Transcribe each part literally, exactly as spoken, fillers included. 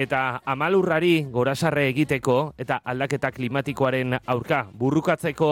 Eta amalurrari gorasarre egiteko eta aldaketa klimatikoaren aurka burrukatzeko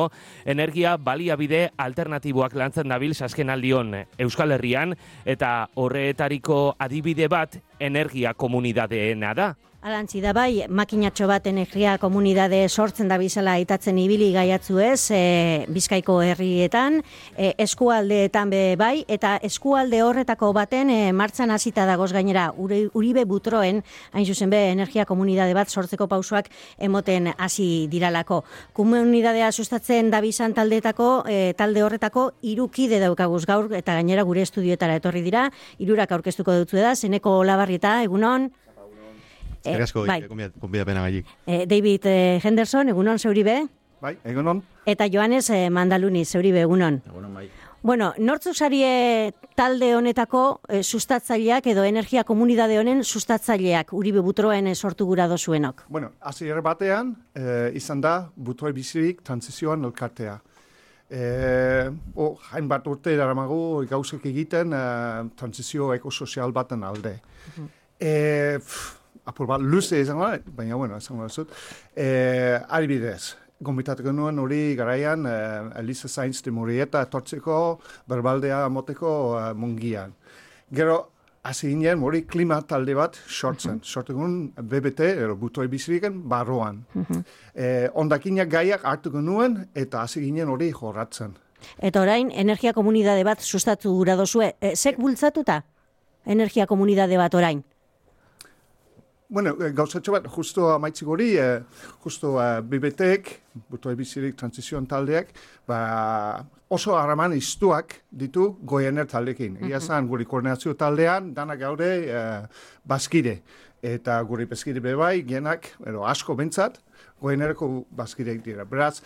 energia baliabide alternatiboak lantzen dabil Saskenaldion Euskal Herrian eta horretariko adibide bat energia komunidadeena da. Alantzi da bai, makinatxo bat energia komunidade sortzen da bizala aitatzen ibili gaiatzu ez, e, Bizkaiko herrietan, e, eskualdeetan be bai, eta eskualde horretako baten e, martxan hasita dagoz gainera, Uri, Uribe Butroen, hain zuzen be, energia komunidade bat sortzeko pausoak emoten hasi diralako. Komunidadea sustatzen da bizan taldeetako, e, talde horretako irukide daukaguz gaur, eta gainera gure estudioetara etorri dira, hirurak aurkeztuko dutzu da, Zeneko Olabarrieta, egunon. Eskerrik asko, bai. konbidapena gaiik. Eh, David eh, Henderson, egunon, zeuribe? Bai, egunon. Eta Joanes eh, Mandaluni, zeuribe, egunon. Egunon, bai. Bueno, nortzuk sarie talde honetako eh, sustatzaileak edo energia komunidade honen sustatzaileak Uribe Butroen eh, sortu gura dozuenok? Bueno, hasiera batean eh, izan da Butroi bizirik transizioan elkartea. Eh, oh, hainbat urte daramagu gauzek egiten eh, transizio ekosozial baten alde. Uh-huh. eh, pff, apur bat luze izango da, baina bueno, izango da zut. Eh, adibidez, gombitatuko nuen hori garaian eh, Elisa Sainz de Murieta etortzeko berbaldea moteko eh, mungian. Gero, hasi ginen hori klima talde bat sortzen. Uh-huh. Sortugun B B T, ero Butroi biziriken, barroan. Uh-huh. eh, ondakinak gaiak hartuko nuen eta hasi ginen hori jorratzen. Eta orain, energia komunidade bat sustatu gura dozue. E, zek bultzatuta? Energia komunidade bat orain? Bueno, gauzatxo bat, justo amaitzik hori, eh, justo eh, B B T-ek, Butroi bizirik transizioan taldeak, ba, oso haraman iztuak ditu goiener taldekin. Egia zan, guri koordinazio taldean, danak gaude eh, bazkide. Eta guri bezkide bebai, genak, ero, asko bentsat, goienereko bazkideak dira. Beraz,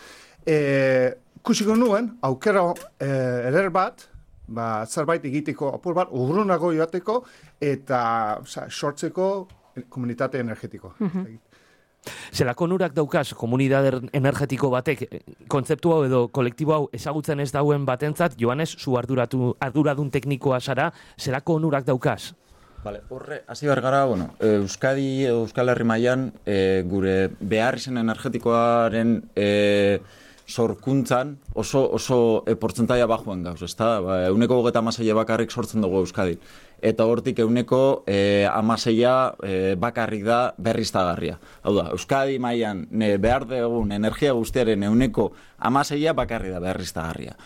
eh, kusiko nuen, aukera eh, eder bat, ba, zerbait egiteko, apur bat, urrunago joateko, eta oza, sortzeko komunitate energetiko. Uh-huh. Zelako onurak daukaz komunidade energetiko batek kontzeptu hau edo kolektibo hau ezagutzen ez dauen batentzat, Joanes, zu arduratu, arduradun teknikoa zara, zelako onurak daukaz? Vale, horre, hasi behar gara, bueno, Euskadi, Euskal Herri mailan e, gure behar izen energetikoaren e, sorkuntzan oso, oso e, portzentaia bajoen gauz, ezta? Ba, euneko gogeta amaseia bakarrik sortzen dugu Euskadi. Eta hortik euneko e, amaseia e, bakarrik da berriztagarria. Hau da, Euskadi mailan ne, behar dugun energia guztiaren euneko amaseia bakarrik da berriztagarria.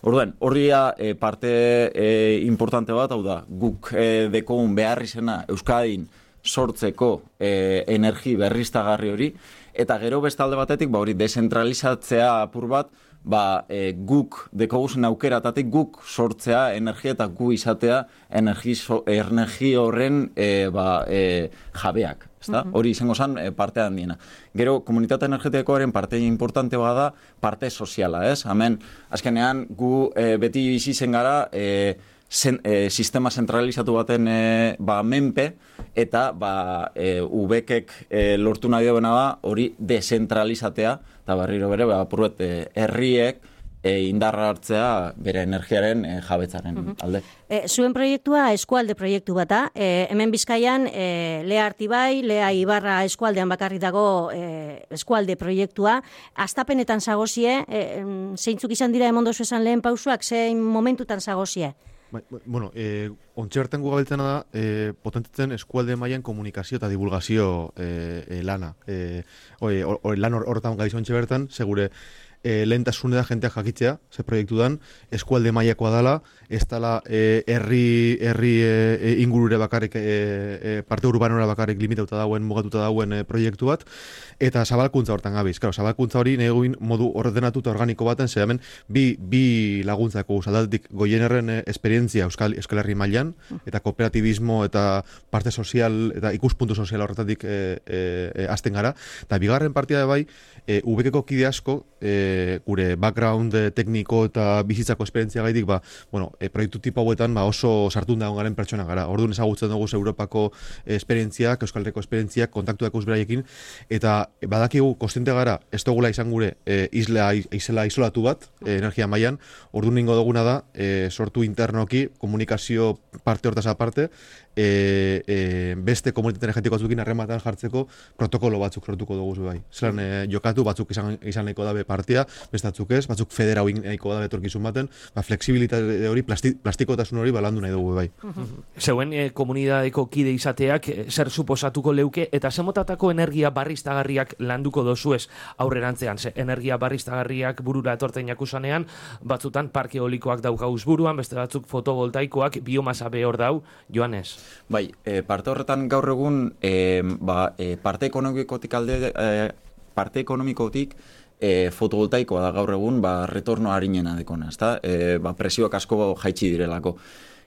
Orduan, horria e, parte e, importante bat, hau da, guk e, dekogun behar izena Euskadin sortzeko e, energi berriztagarri hori, eta gero bestalde batetik, ba hori, desentralizatzea apur bat, ba, e, guk dekoguzen aukeratatik guk sortzea energia eta gu izatea energi, so, energi horren e, ba, e, jabeak. Ezta? Uh-huh. Hori izango zen e, parte handiena. Gero, komunitate energetikoaren parte importante bada parte soziala, ez? Hemen, azkenean, gu e, beti bizi zen gara e, zen, e, sistema zentralizatu baten e, ba, menpe, eta ba, e, ubekek e, lortu nahi duena da hori dezentralizatea, eta berriro bere, ba, apurbet, e, herriek e, indarra hartzea bere energiaren e, jabetzaren uh-huh. alde. E, zuen proiektua eskualde proiektu bata, e, hemen Bizkaian e, Lea Artibai, Lea Ibarra eskualdean bakarri dago e, eskualde proiektua, astapenetan zagozie, e, zeintzuk izan dira emondozu esan lehen pausuak, zein momentutan zagozie? Bueno, eh, ontxe bertan gu gabiltzena da, eh, potentitzen eskualde mailan komunikazio eta divulgazio eh, eh, lana. Eh, oi, or, or, lan horretan gabiz ontxe bertan, segure eh, lehentasune da jenteak jakitzea, ze proiektu dan, eskualde mailakoa dala, ez dala eh, herri, herri eh, ingurure bakarrik, eh, eh, parte urbanora bakarrik limitauta dauen, mugatuta dauen eh, proiektu bat, eta zabalkuntza hortan gabiz. Claro, zabalkuntza hori neguin modu ordenatu eta organiko baten, ze hemen bi, bi laguntzako zaldatik goienerren eh, esperientzia Euskal, Euskal Herri mailan, eta kooperatibismo eta parte sozial eta ikuspuntu sozial horretatik eh, eh, azten gara. Eta bigarren partia da bai, eh, ubekeko kide asko, eh, gure background eh, tekniko eta bizitzako esperientzia gaitik, ba, bueno, e, proiektu tipo hauetan ba, oso sartun dagoen garen pertsona gara. Orduan ezagutzen dugu Europako esperientziak, Euskal Herriko esperientziak, kontaktuak uzberaiekin, eta badakigu kontziente gara, ez dugula izan gure e, isla, izela isolatu bat, e, energia mailan, orduan ningo duguna da, e, sortu internoki, komunikazio parte hortaz aparte, e, e, beste komunitate energetiko batzukin harrematan jartzeko protokolo batzuk sortuko dugu bai. Zeran e, jokatu batzuk izan, izan nahiko dabe partia, beste batzuk ez, batzuk federau nahiko dabe etorkizun baten, ba, fleksibilitate hori, plasti, plastikotasun hori balandu nahi dugu bai. Zeuen e, komunidadeko kide izateak e, zer suposatuko leuke eta zemotatako energia barriztagarriak landuko dozuez aurrerantzean. Ze energia barriztagarriak burura etortzen jakusanean, batzutan parke eolikoak daukauz buruan, beste batzuk fotovoltaikoak, biomasa behor dau, Joanes. Bai, e, parte horretan gaur egun e, ba, e, parte ekonomikotik alde e, parte ekonomikotik e, fotovoltaikoa da gaur egun ba, retorno harinena dekona, ezta? E, ba, presioak asko jaitsi direlako.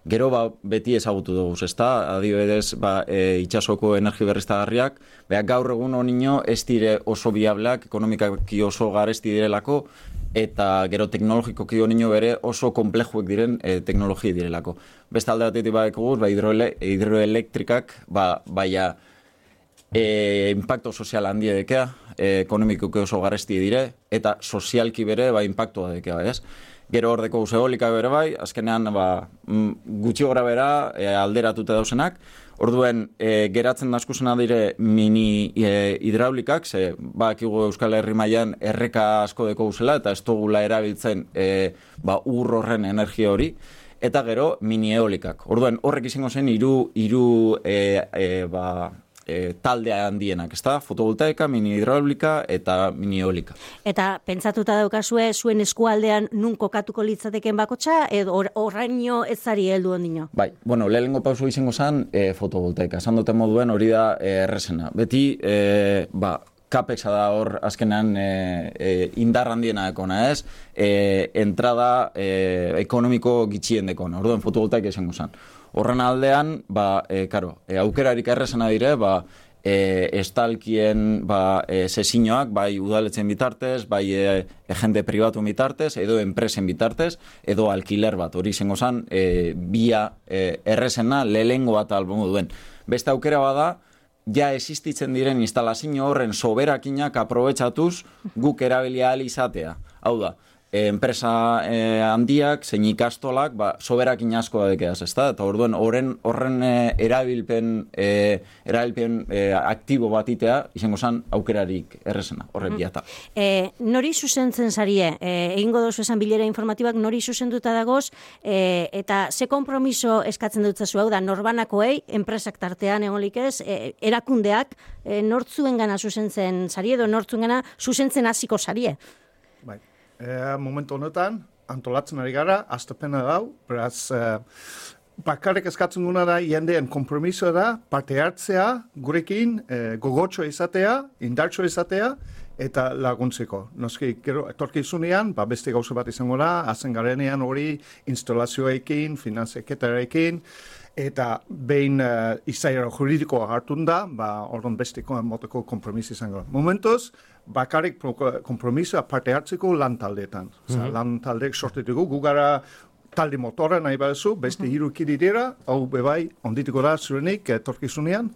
Gero ba, beti ezagutu dugu, ezta? Adibidez, ba, e, itsasoko energi berriztagarriak, beha gaur egun honino ez dire oso biableak, ekonomikaki oso garesti direlako, eta gero teknologikoki honino bere oso komplejuek diren e, teknologi direlako. Beste alde batetik badekoguz, ba, hidroele, hidroelektrikak, ba, baina e, impacto sozial handia dekea, e, ekonomikoki oso garesti dire, eta sozialki bere ba, impactua dekea, ez? Gero hordeko eolika bere bai, azkenean ba, gutxi gora bera e, alderatuta dausenak. Orduen, e, geratzen daskusena dire mini e, hidraulikak, ze bakigu Euskal Herri mailan erreka asko deko guzela, eta ez dugula erabiltzen e, ba, ur horren energia hori, eta gero mini eolikak. Orduen, horrek izango zen hiru hiru e, e, ba, E, talde handienak, ezta? Fotovoltaika, mini hidraulika eta mini eolika. Eta pentsatuta daukazue zuen eskualdean nun kokatuko litzateken bakotxa, edo horraino or, ezari heldu ondino? Bai, bueno, lehenengo pauso izango zen e, fotovoltaika. Esan duten moduen hori da e, errezena. Beti, e, ba, Capexa da hor azkenean e, e, indar handiena dekona, ez? E, entrada e, ekonomiko gitxien dekona. Orduan, fotovoltaika izango zen. Horren aldean, ba, e, karo, e, aukerarik errezena dire, ba, e, estalkien ba, e, sesiñoak, bai udaletzen bitartez, bai e, e, jende pribatu bitartez, edo enpresen bitartez, edo alkiler bat, hori izango zen, e, bia e, errezena lehengo bat albongo duen. Beste aukera bada, ja existitzen diren instalazio horren soberakinak aprobetxatuz guk erabilia ahal izatea. Hau da, enpresa eh, handiak, zein ikastolak, ba, soberakin asko da dekeaz, ezta? Eta orduen, horren, horren eh, erabilpen, eh, erabilpen eh, aktibo batitea, izango zen aukerarik errezena, horren biata. E, nori zuzentzen zarie? E, egingo dozu esan bilera informatibak nori zuzenduta dagoz, e, eta ze kompromiso eskatzen dutzazu, hau da, norbanakoei, enpresak tartean egolik ez, e, erakundeak, e, nortzuen gana zuzentzen zarie, edo nortzuen gana zuzentzen hasiko zarie? Bai. E, momentu honetan, antolatzen ari gara, aztepena dau, beraz, e, bakarrik eskatzen guna da, jendeen kompromisoa da, parte hartzea, gurekin, e, gogotxo izatea, indartxo izatea, eta laguntzeko. Noski, gero, etorkizunean, ba, beste gauza bat izango da, hazen garenean hori, instalazioekin, finanzeketarekin, eta behin uh, izaera juridikoa hartun da, ba, orduan besteko moteko kompromiso izango da. Momentuz, bakarrik kompromisoa parte hartzeko lan taldeetan. Mm-hmm. Lan taldeek sortetuko, gu gara talde motorra nahi baduzu, beste hiru kide dira, hau bebai, ondituko da zurenik etorkizunean,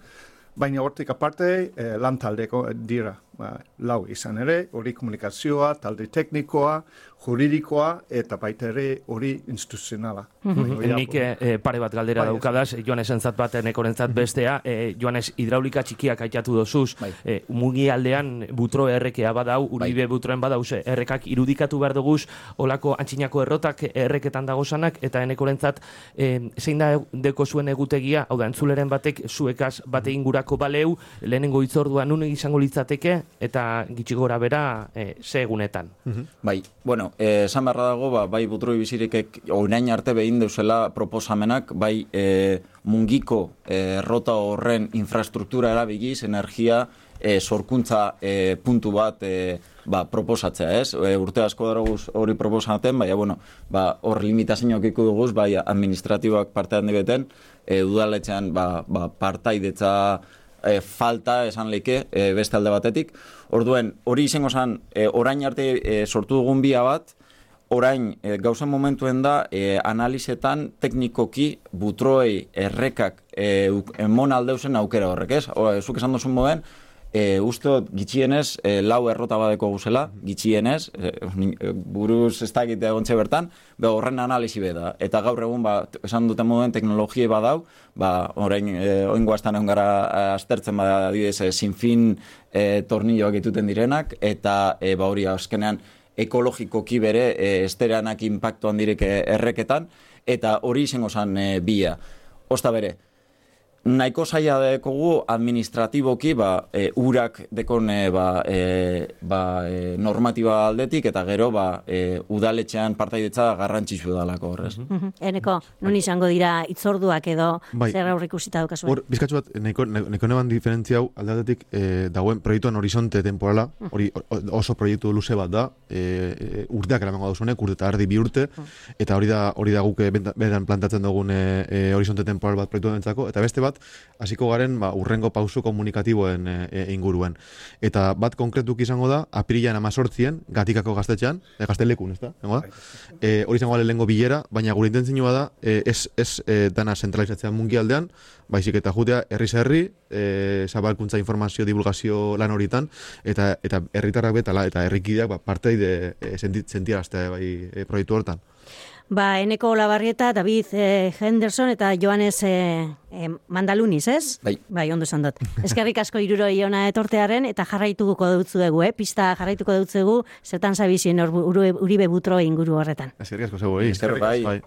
baina hortik aparte eh, lan taldeko dira. Ba, lau izan ere, hori komunikazioa, talde teknikoa, juridikoa, eta baita ere hori instituzionala. Mm-hmm. Nik eh, pare bat galdera bai, daukadaz, Joanes entzat bat, enekorentzat bestea, eh, Joanes hidraulika txikiak aitatu dozuz, bai. eh, mugi aldean butro errekea badau, uribe bai. Butroen badauz, errekak irudikatu behar duguz, olako antxinako errotak erreketan dagozanak, eta enekorentzat eh, zein da deko zuen egutegia, hau da, entzuleren batek zuekaz bate ingurako baleu, lehenengo itzordua nun izango litzateke, eta gitxi gora bera e, ze egunetan. Mm-hmm. Bai, bueno, esan beharra dago, ba, bai butroi bizirikek orain arte behin deuzela proposamenak, bai e, mungiko e, rota horren infrastruktura erabigiz, energia, e, sorkuntza e, puntu bat e, ba, proposatzea, ez? E, urte asko daroguz hori proposatzen, baina, bueno, ba, hor limitazioak iku duguz, bai administratiboak parte handi beten, e, udaletxean ba, ba, partaidetza E, falta esan leike e, beste alde batetik. Orduen, hori izango zen, e, orain arte e, sortu dugun bia bat, orain e, gauzen momentuen da e, analizetan teknikoki butroei errekak e, emon aldeuzen aukera horrek, ez? O, zuk esan duzun moden, E, uste gitxienez, e, lau errota badeko guzela, gitxienez, e, buruz ez da egite egontxe bertan, be horren analisi beda. Eta gaur egun, ba, esan duten moduen teknologie badau, ba, orain, e, oingoaztan egon gara aztertzen bada, adibidez, e, sinfin e, tornilloak ituten direnak, eta e, ba, hori azkenean ekologikoki bere e, estereanak impactuan direk erreketan, eta hori izango zan e, bia. Osta bere, nahiko zaila dekogu administratiboki ba, e, urak dekon e, ba, e, ba, e, normatiba aldetik eta gero ba, e, udaletxean partaidetza garrantzitsu dalako horrez. Mm-hmm. Eneko, nun izango dira itzorduak edo bai. Zer aurrikusita daukazuen? Hor, bizkatxu bat, nahiko, nahiko neban diferentzia hau aldeatetik e, dagoen proiektuan horizonte temporala, hori oso proiektu luze bat da, e, e, urteak eramango dauzunek, urte eta erdi bi urte, eta hori da, hori da guk bedan plantatzen dugun e, e, horizonte temporal bat proiektu dentzako, eta beste bat, hasiko garen ba, urrengo pausu komunikatiboen e, inguruen. Eta bat konkretuk izango da, apirilan amazortzien, gatikako gaztetxean, e, gaztelekun, ez da? E, hori izango gale lehengo bilera, baina gure intentzinua da, e, ez, ez e, dana zentralizatzea mungialdean, baizik eta jutea herriz herri, e, zabalkuntza informazio, divulgazio lan horitan, eta eta herritarrak betala, eta herrikideak ba, parteide e, sentiaraztea bai, e, proiektu hortan. Ba, Eneko Olabarrieta, David eh, Henderson eta Joanes eh, eh, Mandaluniz, ez? Bai. Bai, ondo esan dut. Eskerrik asko hiruroi ona etortearen eta jarraituko dutzuegu, eh? Pista jarraituko dutzuegu, zertan zabizien Uribe Butro inguru horretan. Eskerrik asko zego, eh? Eskerrik asko.